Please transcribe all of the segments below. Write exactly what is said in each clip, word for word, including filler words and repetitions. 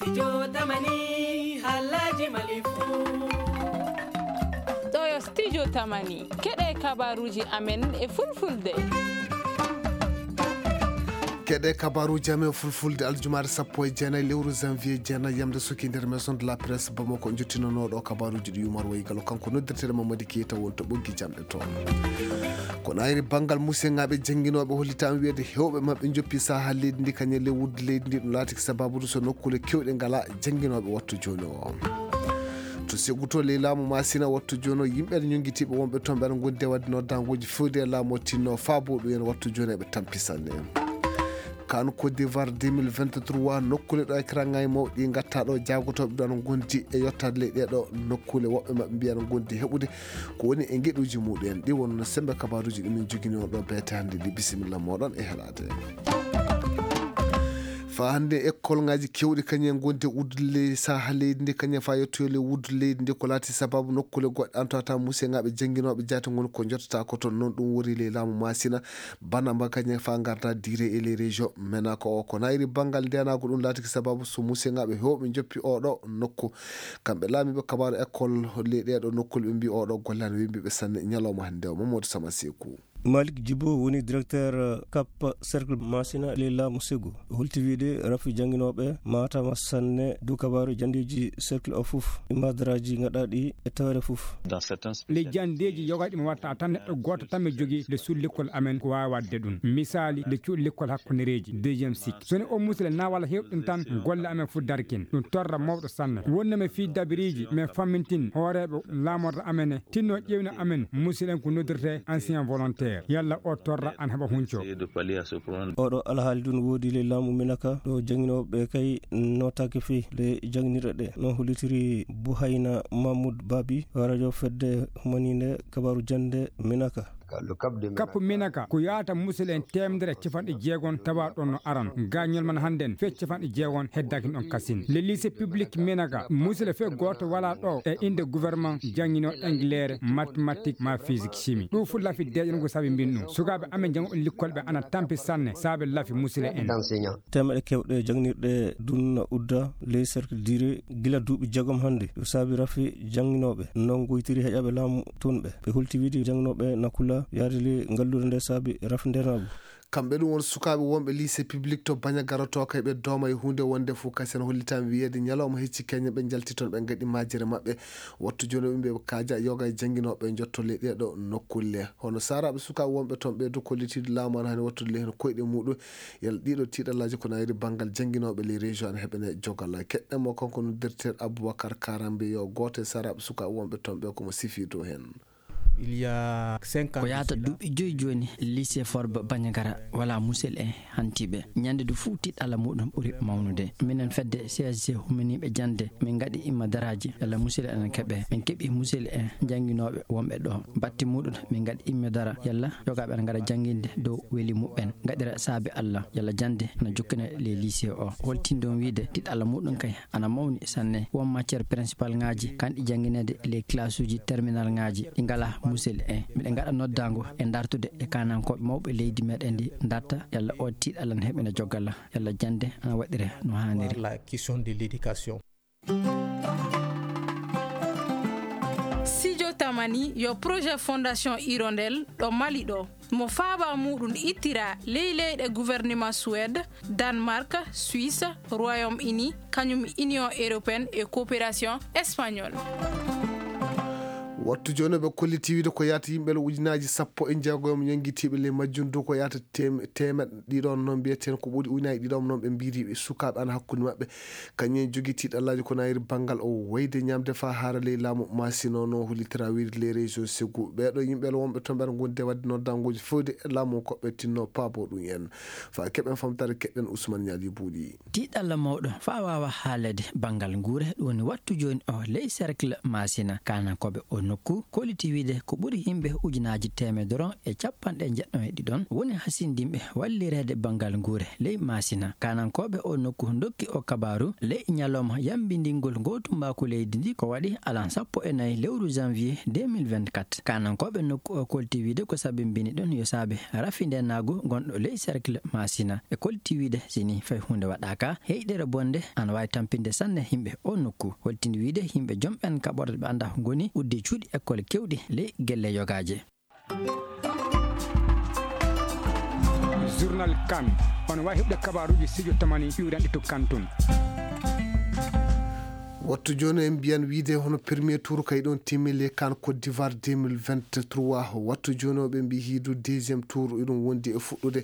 Studio Tamani, halaji Mali fu. Ɗo yo Studio Tamani, keɗe kabaruji amen e fulfulde. Keɗe kabaruji amen fulfulde aljumaare sappo e jeenayi lewru janvier jeenayi yamde suki nder maison de la presse Bamako, jottinanooɗo kabaruji ɗi Umar Waygalo, kanko noddirteɗo Mamadi Keita won to ɓoggi jamɗe toon. Ko nayri banngal museŋaaɓe jannginooɓe hollitaama wiyeede heewɓe maɓɓe njoppi sahaa leydi ndi kañum e ley wuddu leydi ndi, ɗum laatiki sababude so nokkuule keewɗe ngalaa jannginooɓe wattu jooni o. To Segu to ley laamu Masina wattu jooni o, yimɓe ene ñonngitiiɓe wonɓe toon ɓe ene ngondi e waɗde noddaanguuji fewde e laamu o tinno faabo ɗum en wattu jooni eɓe tampi sanne. Kan Côte d'Ivoire deux mille vingt-trois, nokkuule ɗo e karaŋŋaaji mawɗi ngatta ɗo jaagotooɓe ɗo ene ngondi e yottaade ley ɗee ɗo nokkuule, woɓɓe maɓɓe mbiya ene ngondi heɓude ko woni e ngeɗuuji muɗum en. Ɗi wonno sembe kabaruuji ɗi min jogini on ɗo beete hannde ndi. Bisimilla mooɗon e heɗaade. Faa hannde, ekkolŋaaji keewɗi kañum en ngondi e wuddu ley saha leydi ndi, kañum en faa yettoyo ley wuddu leydi ndi, ko laati sababu nokkuule goɗɗe antata museŋaaɓe jannginooɓe jaati ngoni ko njottata ko toon. Noon ɗum woni ley laamu Masina, bana mba kañum en faa ngarda dire e ley région Menaka o. Ko nayri banngal ndeenaagu ɗum laatiki sababu so museŋaaɓe heewɓe njoppi oo ɗo nokku. Kamɓe laamiiɓe kabaaru école ley ɗee ɗo nokkuule ɓe mbi oo ɗo golle ana wembi ɓe sanne ñalawma hannde o. Mamadou Sama Seku. Malik Djibo woni directeur, euh, Cap Cercle Masina ley laamu Segu. Holti wiide rafi jannginooɓe maatama sanne dow kabaaru janndeeji cercle o fof, e madaraaji ngaɗaaɗi e tawere fof. Dans certains Les janndeeji yoga ɗi mi watta tan neɗɗo gooto tan mi jogii nde suudu lekkol amen ko waawi waɗde ɗum. Misaali, nde cuuɗi lekkol hakkundereeji, deuxième cycle. So ni o musle na walla heewɗum tan, golle amen fof darkin. Ɗum torra mawɗo sanne. Wonnama fii dabiriiji, min fammintin hooreeɓe laamorɗo amen e tinno ƴeewna amen, musidɗen ko noddirtee ancien volontaire. Yalla o torra ana heɓa hunco. Oɗo alhaali ɗum woodi le laamu Minaka ɗo jannginooɓe kay notaaki fii le jannginirɗe ɗe. No hollitiri Buhayna Mahmoud Babi, radio fedde humaniinde kabaaru jannde Minaka. Kappu Minaka ko yaata musidɗen teemedere e capanɗe jeegom tawa ɗon no aran. Gaañol man hannden fe capanɗe jeegom heddaaki ɗon kasin. Le lycée public Minaka, musidɗo fe gooto wala ɗo e innde gouvernement janngino Engleere, mathématique, ma physique, chimie. Ɗum fof lafi deeƴol ngol sabi mbin ɗum. Sukaaɓe amen janngo on likkolɓe ana tampi sanne saabe lafi musidɗo en. Teemeɗe kewɗe jannginirɗe dunna udda ley cercle dire gila duuɓi jeegom hannde. Ɗum saabi rafi jannginooɓe non goytiri heƴaɓe laamu tun ɓe. Ɓe hulti wiide jannginooɓe Nakula yaade ley ngalluure nde saabi rafi ndenaagu. Kamɓe ɗum won sukaaɓe wonɓe lycée public to Baña garoto kay ɓe dooma e huunde wonde fof kasi en hollitaama wiyeede ñalawma hecci keñe ɓe njalti toon ɓe ngaɗi majjere maɓɓe. Wattu jooni o ɓe kaaja yoga e jannginooɓe njotto ley ɗee ɗo nokkulle. Hono saaraaɓe sukaaɓe wonɓe toon ɓe du kollitiiɗo laamu ana hani wattude ley heen koyɗe muɗum. Yalla ɗiɗo tiiɗallaaji ko nayri banngal jannginooɓe ley région ana heɓene jogal. Keɗɗen mo kanko noddirteeɗo Aboubacar Karambe yo gooto e saaraaɓe sukaaɓe wonɓe toon ɓe ko mo sifi dow heen. Il y a cinq ans ko yaata de cela, duuɓi joyi jooni, lycée Forba Bandiagara wala musel en hantiiɓe. Ñande du fuu tiiɗalla muɗum ɓuri mawnude. Minen fedde C S G humaniiɓe jannde, min ngaɗi imma daraaji, yalla musel en keɓe. Min keɓi musel en jannginooɓe wonɓe ɗo. Batti muɗum, min ngaɗi imma dara, yalla yogaaɓe ana ngara jannginde dow weli muɓɓen. Ngaɗira saabi Allah, yalla jannde na jokkina le lycée o. Holtin ɗum wiide, tiiɗalla muɗum kay ana mawni sanne. Won matière principal ŋaaji, kanɗi janngineede ley classe uji terminal ŋaaji, ɗi ngalaa musel en. Miɗen ngaɗa noddaango e dartude e kaanankooɓe mawɓe leydi meɗen ndi, darta yalla o tiiɗalla na heɓina jogal, yalla jannde ana waɗire no haaniri. La question de l'éducation. Studio Tamani yo projet Fondation Hirondelle ɗo Mali ɗo. Mo faaba muɗum ittira ley leyɗe gouvernement Suède, Danemark, Suisse, Royaume-Uni, kañum Union européenne e coopération espagnole. Wattu jooni ɓe kolliti wiide ko yaata yimɓe le ujunaaji sappo e jeegom ñonngitiiɓe ley majjum du ko yaata tem-, teemeɗɗe ɗiɗon noon mbiyeteen ko ɓuri ujunaaji ɗiɗon noon ɓe mbiiri ɓe sukaaɓe ana hakkunde maɓɓe. Kañum en jogii tiiɗallaaji ko nayri banngal o wayde ñaamde faa haara ley laamu Masina o no hollitira wiide ley région Ségou. Ɓee ɗoo yimɓe wonɓe toon ɓe ngondi e waɗde noddaanguuji fewde e laamu ko ɓe tinno paabo ɗum en. Faa keɓen famtaare keɗɗen Ousmane Ñaali Buuɗi. Tiiɗalla mawɗo faa waawa haalede banngal nguure ɗum woni wattu jooni o ley cercle Masina kaanankooɓe o Nokku kolliti wiide ko ɓuri yimɓe ujunaaji teemedere e capanɗe jeɗɗo e ɗiɗon woni hasindinɓe wallireede banngal nguure ley Maasina. Kaanankooɓe oo nokku ndokki oo kabaaru ley ñalawma yammbindingol ngoo tumbaaku leydi ndii ko waɗi alan sappo e nayi lewru janvier deux mille vingt-quatre. Kaanankooɓe nokku oo kolliti wiide ko sabimbini ɗum yo saabe rafi ndeenaagu ngonɗo ley cercle Maasina. E kolliti wiide si nii fay huunde waɗaaka, heyɗere bonnde ana waawi tampinde sanne yimɓe oo nokku. Holtini wiide yimɓe jom ɓen kaɓorɗe ɓe anndaa ngoni udde cuuɗi ekkol keewɗi ley gelle yogaaje. Journal Kan, on waawi heɓde kabaaruuji studio tamani iwranɗe to Kan tun. Wattu jooni en mbiyan wiide hono premier tour kay ɗon timmile kan Côte d'Ivoire deux mille vingt-trois. Wattu jooni o ɓe mbi hiidu deuxième tour iɗum wondi e fuɗɗude.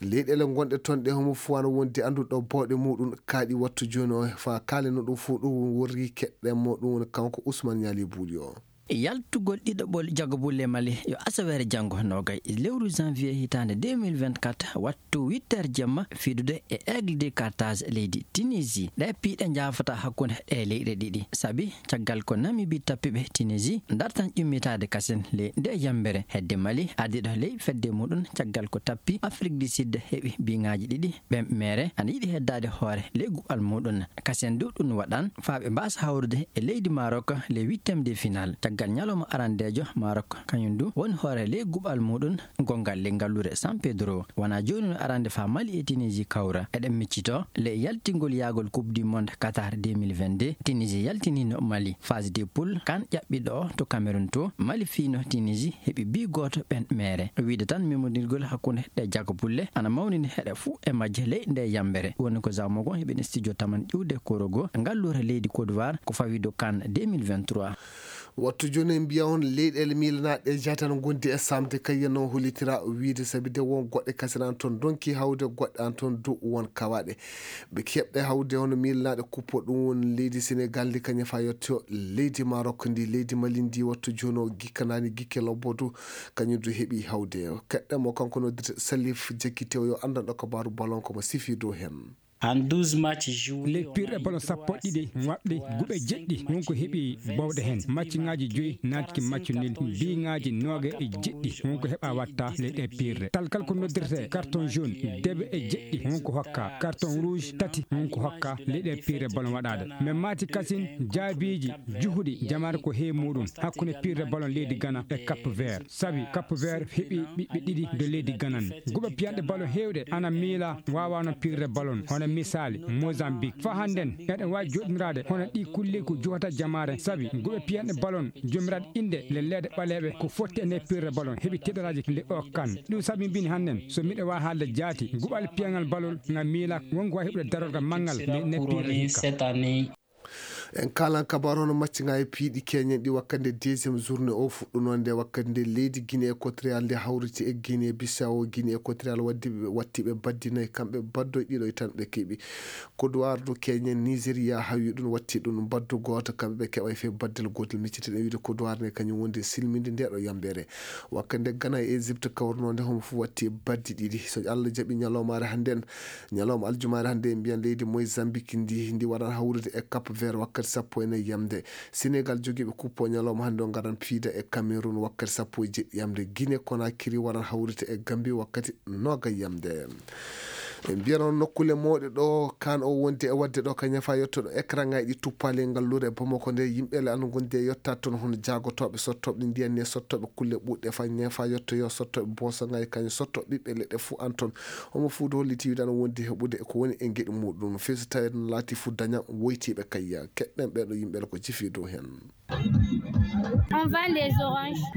Leyɗeele gonɗe toon ɗe homo fof ana wondi annduɗo bawɗe muɗum kaaɗi wattu jooni o fa kaalino ɗum fof ɗum worri keɗɗen mo ɗum woni kanko Ousmane Niali Buuɗi o. Yaltugol ɗiɗaɓol jagabulle Mali yo asaweere janngo noogay lewru janvier hitaande deux mille vingt-quatre wattu huit heures jemma fiidude e Aigle de Carthage leydi Tunisie. Ɗee piiɗe njaafataa hakkunde ɗee leyɗe ɗiɗi sabi caggal ko Namibie tappi ɓe Tunisie dartan ƴummitaade kasen ley ndee yammbere hedde Mali ardiiɗo ley fedde muɗum caggal ko tappi Afrique du Sud heɓi biŋaaji ɗiɗi. Ɓen meere ana yiɗi heddaade hoore ley guɓal muɗum. Kasen du ɗum waɗan faa ɓe mbaasa hawrude e leydi Maroc ley huitième de finale caggal ñalawma arandeejo. Maroc kañum du woni hoore ley guɓal muɗum gonngal ley ngalluure San Pedro. Wonaa jooni no arande faa Mali e Tunisie kawra. Eɗen miccitoo ley yaltingol yaagol Coupe du Monde Qatar deux mille vingt-deux, Tunisie yaltiniino Mali phase de poule kan ƴaɓɓiiɗo o to Cameroun to Mali fiino Tunisie heɓi bii gooto ɓen meere. Wiide tan memondirgol hakkunde ɗee jagabulle ana mawnini heɗe fuu e majje ley ndee yammbere. Woni ko Zao Mogon heɓini studio taman iwde korogo ngalluure leydi Côte d'Ivoire ko fawii dow Kan deux mille vingt-trois. Wattu jooni en mbiya on leyɗeele miilanaaɗe e jahatan ngondi e saamde kay yano hollitira wiide sabi de won goɗɗe kasiraan toon ndonki hawde goɗɗe an toon du won kawaaɗe. Ɓe keɓɗe hawde hono miilanaaɗe kuppo ɗum woni leydi Senegal ndi kañum fa yetto leydi Maroc ndi leydi Mali ndi wattu jooni o gikkanaani gikke lobbo du kañum du heɓi hawde. Keɗɗen mo kanko noddirte Salif Jekki tew yo anndanɗo kabaaru balon ko mo sifi dow heen. En douze matchs joués, ley pirɗe ballon sappo ɗiɗi waɗɗe guɓe jeɗɗi won ko heɓi bawɗe heen. Matchŋaaji joyi naatki match nul, biŋaaji nooga e jeɗɗi won ko heɓa watta ley ɗe pirɗe. Tal kal ko noddirte carton jaune debe e jeɗɗi won ko hokka, carton rouge tati won ko hokka ley ɗe pirɗe ballon waɗaade. Men maati kasin jaabiiji juhuɗi jamaare ko heewi muɗum hakkunde pirɗe ballon leydi Gana e Cap Vert. Sabi Cap Vert heɓi ɓiɓɓe ɗiɗi do leydi Gana. Guɓe piyanɗe ballon heewɗe ana miila waawano pirde ballon, hono misaali Mozambique. Fa hannden eɗen waawi jooɗiniraade hono ɗi kulleeku juhata jamaare, sabi guɓe piyanɗe ballon joomiraaɗe innde le leede ɓaleeɓe ko fotti e nde pirde ballon heɓi tiiɗaraaji nde o Kan. Ɗum sabi mbin hannden so miɗo waawi haalde jaati guɓal piyangal ballon nga miila wonko waawi heɓude darorgal manngal nde nde pirde hikka. En kaalan kabaaru hono maccinga e piiɗi keñen ɗi wakkande deuxième journée o fuɗɗunoo nde wakkande leydi Guinée Équatoriale nde hawriti e Guinée Bissau. Guinée Équatoriale waddi ɓe watti ɓe baddi nayi kamɓe baddoy ɗiɗo e tan ɓe keɓi. Kodowar du keñen Nigeria hawi ɗum watti ɗum baddu gooto kamɓe ɓe keɓa fe baddel gootel miccitiɗen wiide Kodowar ne kañum wondi silminde nde ɗo yambere. Wakkande Gana e Égypte kawrunoo nde homo fof watti baddi ɗiɗi so Allah jaɓi ñalawmaare hannden. Ñalawma aljumaare hannde en mbiyan leydi Mozambique ndi ndi waran hawrude e Cap Vert wakkati sappo e nayi yamde. Sénégal jogiiɓe kuppo ñalawma hannde o ngaran piida e Cameroun wakkati sappo e jeɗɗi yamde. Guinée Conakry waran hawrude e Gambie wakkati nooga yamde. En mbiyan on nokkule mooɗe ɗo kan o wonde e wadde ɗo ka ñafa yettoɗo écran ngaji ɗi tuppaali e ngalluure e Bamako nde yimɓe le ano gondi e yottaade toon hono jaagotooɓe sottooɓe ndiyan ne sottooɓe kulle ɓuuɗɗe fa ñafa yettoyo sottooɓe boso ngaji kañum sottooɓe ɓiɓɓe leɗɗe fuu an toon. Homo fuu holliti wiide ana wondi heɓude ko woni e geɗi muɗum feeso tawi no laati fuu daña woytiiɓe kayya keɗɗen ɓeeɗo yimɓe ko cifi dow heen. Waɗi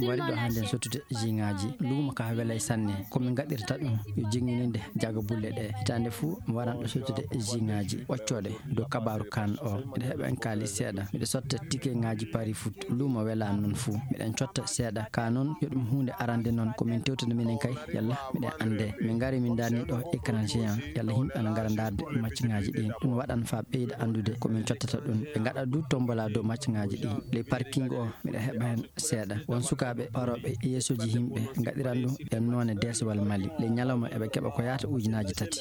ɗo hannde en sottude jiŋaaji luumo ka welay sanne ko min gaɗirta ɗum yo jiŋŋininde jaga bulle ɗe hitaande fuu mi waran ɗo sottude jiŋaaji ɓoccooɗe dow kabaaru kan o miɗo heɓa en kaali seeɗa miɗo sotta tikeŋaaji pari foot luumo welaani noon fuu miɗen cotta seeɗa ka noon yo ɗum huunde arande noon ko min tewtude minen kay yalla miɗen annde min ngari min darni ɗo écran géant yalla yimɓe ana ngara darde macciŋaaji ɗin ɗum waɗan fa ɓeyda anndude ko min cottata ɗum ɓe ngaɗa du tombola dow macciŋaaji ɗi ley parking o miɗa heɓa heen seeɗa won sukaaɓe parooɓe yeesooji yimɓe ngaɗiran ɗum e noone deesewal mali ley ñalawma eɓe keɓa ko yahata ujunaaji tati.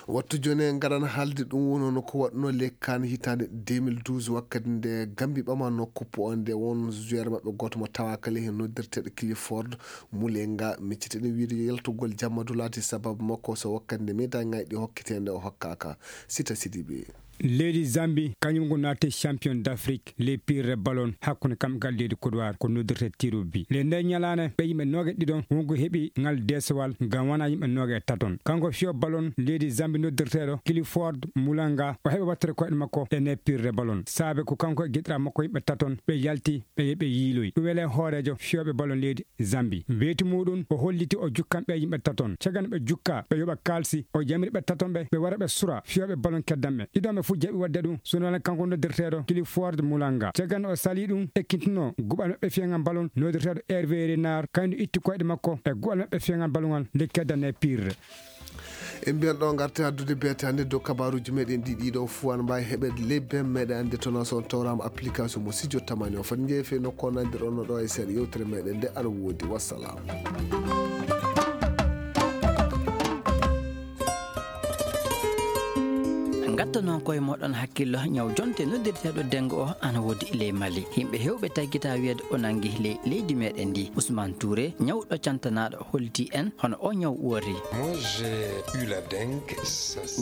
Wattu jooni en ngaran haalde ɗum wonno ko waɗno les CAN hitaande deux mille douze, wakkati nde Gambie ɓamano coupe o, nde won joueur maɓɓe gooto mo tawaaka ley heen noddirteeɗo Clifford Mulenga. Micciteɗen wiide yaltugol jammadu laati sababu makko so wakkati nde médaille ngaji ɗi hokkiteende o hokkaaka. Sita Sidibe. Leydi Zambie kañum ko naati champion d'Afrique les pire ballon hakkunde kam ngal leydi Côte d'Ivoire ko noddirte tirubi. Le nde ñalaande ɓe yimɓe nooge ɗiɗon wonko heɓi ngal desowal ngam wona yimɓe nooge taton. Kanko fiyo ballon leydi Zambie noddirteeɗo Clifford Mulanga o heɓi wattere koyɗe makko e ne pire ballon. Saabe ko kanko e giɗra makko yimɓe taton ɓe yalti ɓe yeɓe yiiloyi. Ɗum wele hooreejo fiyooɓe ballon leydi Zambie. Weeti muɗum o holliti o jukkan ɓe yimɓe taton. Cagano ɓe jukka ɓe yoɓa kaalsi o yamiri ɓe taton ɓe ɓe wara ɓe sura fiyooɓe ballon keddanɓe. Ɗiɗon ɓe fof jaɓi waɗde ɗum. Sunana kanko noddirteeɗo Clifford Mulanga. Cagano o sali ɗum ekkintinoo guɓal maɓɓe fiyangal ballon noddirteeɗo Hervé Renard kañum itti koyɗe makko e guɓal maɓɓe fiyangal ballon ngal nde keddanne pire. En mbiyan ɗo ngarte addude beete hannde dow kabaruuji meɗen ɗi ɗiɗo fof ana mbawi heɓede ley bem meɗen ande toon so on tawrama application mo sijo tamani o foti jeefe nokku o nandir ono ɗo e seeɗa yewtere meɗen nde ana woodi. Wassalam. Ngatta noon koye moɗon hakkillo ñaw jonte noddirteeɗo dengo o ana woodi ley Mali. Yimɓe hewɓe taggita wiyeede o nangi ley leydi meɗen ndi. Ousmane Touré ñawɗo cantanaaɗo holti en hono o ñaw wori. Moi, j'ai eu la dengue.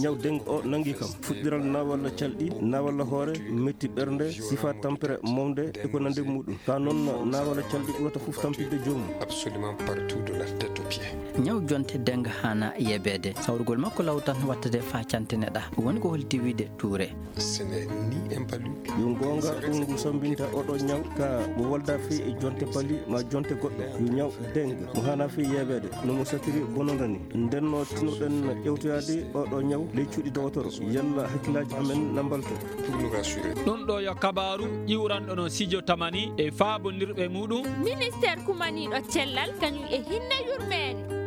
Ñaw dengue o nangi kam fuɗɗiral nawalla calɗi nawalla hoore metti ɓernde sifa tampere momde e ko nande muɗum ka noon nawalla calɗi ɓurata fof tampinde joomum. Absolument partout de la tête aux pieds. Ñaw jonte dengue hana yebeede sawrugol makko law tan wattade fa cantine ɗa woni ko holti wiide tuure. Ce n'est ni un palu. Yo goonga ɗum ngu sambinta oɗo ñaw ka mo wolda fii e jonte pali ma jonte goɗɗo yo ñaw dengue mo hana fii yeeɓeede no mo satiri bononda ni. Ndenno tinoɗen ƴewtoyaade oɗo ñaw ley cuuɗi dowotoro yalla hakkillaaji amen na mbalto. Pour nous rassurer. Ɗum ɗo yo kabaaru ƴiwranɗo no sijo tamani e faabondirɓe muɗum. Ministeer kumaniiɗo cellal kañum e hinne yurmeende.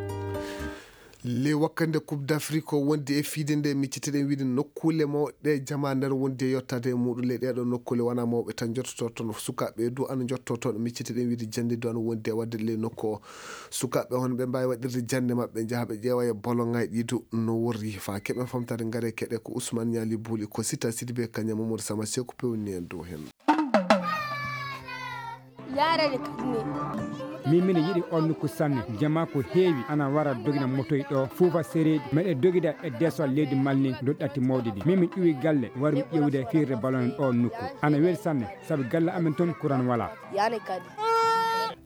Le wakkande coupe d'Afrique o wondi e fiide nde micciteɗen wiide nokkuule mawɗe jama nder wondi e yottade e muɗum le ɗeɗo nokkuule wona mawɓe tan jottoto toon sukaɓe du ana jotto toon micciteɗen wiide jande du ana wondi e wadde le nokku o. Sukaɓe hono ɓe mbawi waɗirde jande maɓɓe jaaha ɓe ƴeewa e bolongay ɗi du no worri fa keɓen famtade ngare keɗe ko Ousmane Ñaali Buuli ko Sita Sidibe Kaña Mamadou Sama Seku pewni en dow hen. Yaarani kadi ne. Min mino yiɗi on nokku sanne. Jama ko heewi ana wara dogina motoy ɗo fuufa sereeji meɗe dogida e desol leydi malni doɗɗatti mawɗi ɗi min mi ƴuwi galle warmi ƴewde firde ballon ɗo nokku ana weli sanne. Sabu galle amen toon kuran wala. Yaani kadi.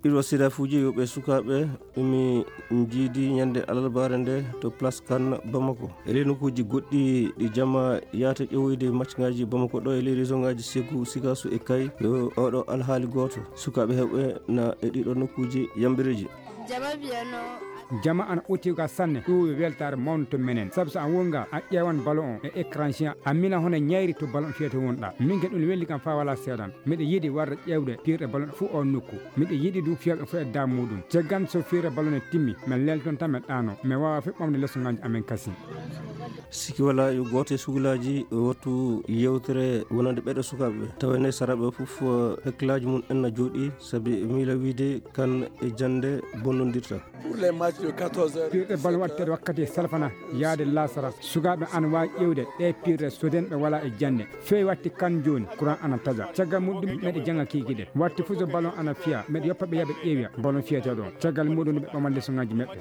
Ɗiɗo sidafuuji yoɓe sukaaɓe mi jiidi ñande alarbaare nde to place kan Bamako e ley nokkuuji goɗɗi ɗi jama yahata ƴewoyde maccaŋaaji Bamako ɗo e ley région ŋaaji Ségou, Sikasso e Kayes. Yo oɗo alhaali gooto sukaaɓe heewɓe na e ɗiɗo nokkuuji yambireeji. Jama mbiyano. Jama ana ɓoti ga sanne ɗum yo weltaare mawnde to menen sabu so a wonga a ƴeewan ballon on e écran géant a mila hono ñayri to ballon fiyete wonɗa min ke ɗum welli kam fa wala seeɗan. Miɗo yiɗi warde ƴeewde piirɗe ballon fof o nokku. Miɗo yiɗi ɗum fiyooɓe fof e daabe muɗum. Caggal so fiirde ballon e timmi min lelton tan min ɗaano min waawa fof ɓamde lesoŋaaji amen kasi. Siki wala yo gooto e sugulaaji wattu yewtere wonande ɓeɗo sukaaɓe ɓe tawa ene saraɓe fof hakkillaaji mum en na jooɗi sabi miila wiide kan e jannde bonnondirta. Pour les matchs de quatorze heures. Piirɗe bal waɗteɗe wakkati e salfana yaade lasara sukaaɓe ana waawi ƴeewde ɗe piirɗe so denɓe wala e jannde. Feewi watti kan jooni kuran ana taja caggal muɗum meɗe janga kikiɗe watti fof so ballon ana fiya meɗe yoppa ɓe yaɓe ƴeewiya ballon fiyateɗo on caggal muɗum ɓe ɓaman lesoŋaji meɓɓe.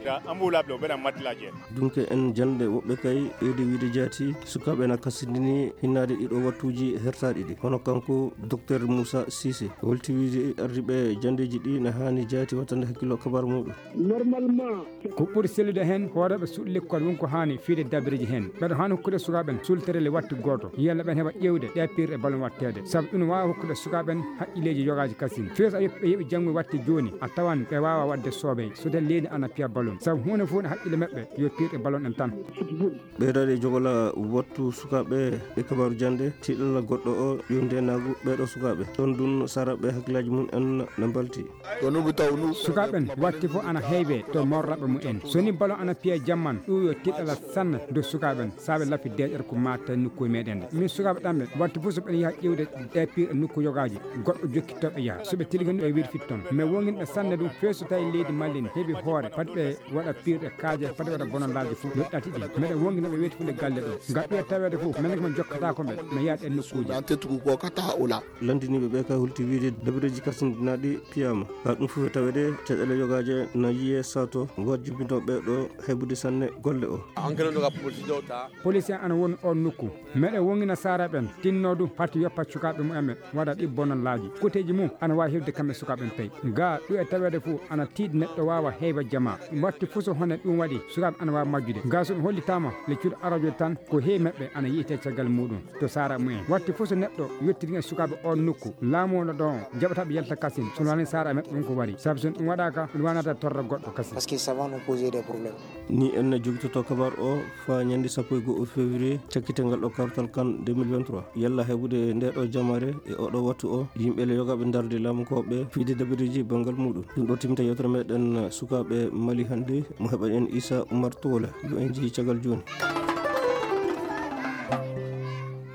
Dunke en jannde woɓɓe kay ɓeydi wiide jaati sukaaɓe na kasindini hinnaade ɗiɗo wattuuji hertaaɗi ɗi hono kanko docteur Moussa Cissé holti wiide ardiiɓe janndeeji ɗi na haani jaati wattande hakkillo kabar muɗum. Normalement. Ko ɓuri sellude heen hooreeɓe suuɗi lekkol won ko haani fiyde dabireeji heen ɓeɗo haani hokkude sukaaɓe en sulterele watti gooto yalla ɓen heɓa ƴeewde ɗe piirɗe ballon watteede sabu ɗum waawa hokkude sukaaɓe en haqqilleeji yogaaji kasin feeso a yoppi ɓe yoɓi janngo watti jooni a tawan ɓe waawa waɗde soobey so tawi leydi ana piya ballon sabu huunde fof ne haqqille maɓɓe yo piirɗe ballon en tan. Ɓeydaade jogola wattu sukaaɓe e kabaaru jannde tiiɗalla goɗɗo o yo ndeenaagu ɓeeɗo sukaaɓe ɗon ɗum saraɓe hakkillaaji mum en na mbalti. Sukaaɓe en watti fof ana heewe to morla Ɓe mumen. So ni ballon ana piya jamman, ɗum yo tiɗɗala sanne dow sukaaɓe ɓen, saabe lafi deeƴere ko maata e nokkuuji meɗen ɗe. Min sukaaɓe ɗan ɓe, wattu fof so ɓen yaha ƴewde ɗe piir e nokku yogaaji, goɗɗo jokkitto ɓe yaha. So ɓe tilgi ni, ɓe wirfit toon. Mais wongin ɓe sanne ɗum, feesu tawi leydi Mali ni heɓi hoore, fati ɓe waɗa piir ɗe kaaje, fati waɗa bonallaaji fof, ɗo ɗati ɗi. Meɗen wongina ɓe weeti fude galle ɗo. Ngam ɓiya taweede fof, men ko men jokkata ko ɓe, mi yaha ɗen nokkuuji. Lanndiniiɓe ɓe ka hulti wiide dabireeji kasindinaaɗi piyaama. Ka ɗum fof e taweede, caɗeele yogaaje na yiyee sato, wajjibinoo ɓe ɗo heɓude sanne golle o. Police en ana woni on nokku. Meɗen wongina saara ɓen, tinno ɗum, fati yoppa sukaaɓe mumen, waɗa ɗi bonallaaji. Kuteeji mum ana waawi heɓde kamɓe sukaaɓe ɓen pey. Ga ɗum e taweede fof ana tiiɗi neɗɗo waawa heyba jamaa. Watti fof so hone ɗum waɗi, sukaaɓe ana waawi majjude. Ga so ɗum hollitaama, le cuuɗi arajo tan, ko heewi maɓɓe ana yiyetee caggal muɗum to saara mumen. Watti fof so neɗɗo yettiri e sukaaɓe on nokku, laamu o no ɗon, jaɓata ɓe yalta kasin, so wonani saara maɓɓe ɗum ko wari. Sabu so ɗum waɗaaka, ɗum wanata torra goɗɗo kasin. Parce que ça va nous poser des problèmes. Ni en jogitoto kabar o faa ñande sappo e go'o février, cakkiteengal ɗo kartal kan deux mille vingt-trois. Yalla heɓude nde ɗo jamaare e oɗo wattu o, yimɓe le yogaaɓe ndarde laamu ko ɓe fiide dabireeji banngal muɗum. Ɗum ɗo timta yewtere meɗen sukaaɓe Mali hannde, mo heɓa en Issa Oumar Tola, yo en jeyi caggal jooni.